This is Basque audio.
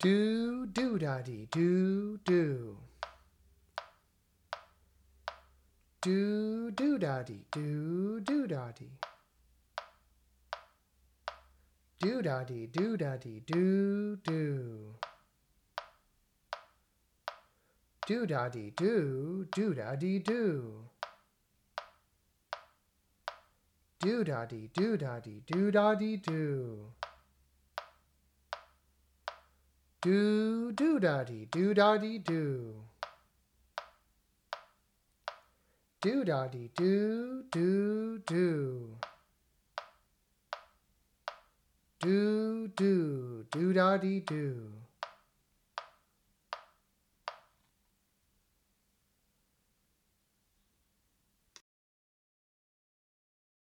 Do do da dee do do. Do do da dee do do da dee. Do da dee do da dee do do. Do da dee do da dee do. Do da dee do da dee do da dee do. Do do da dee do da dee do. Do da dee do do do. Do do do da dee do.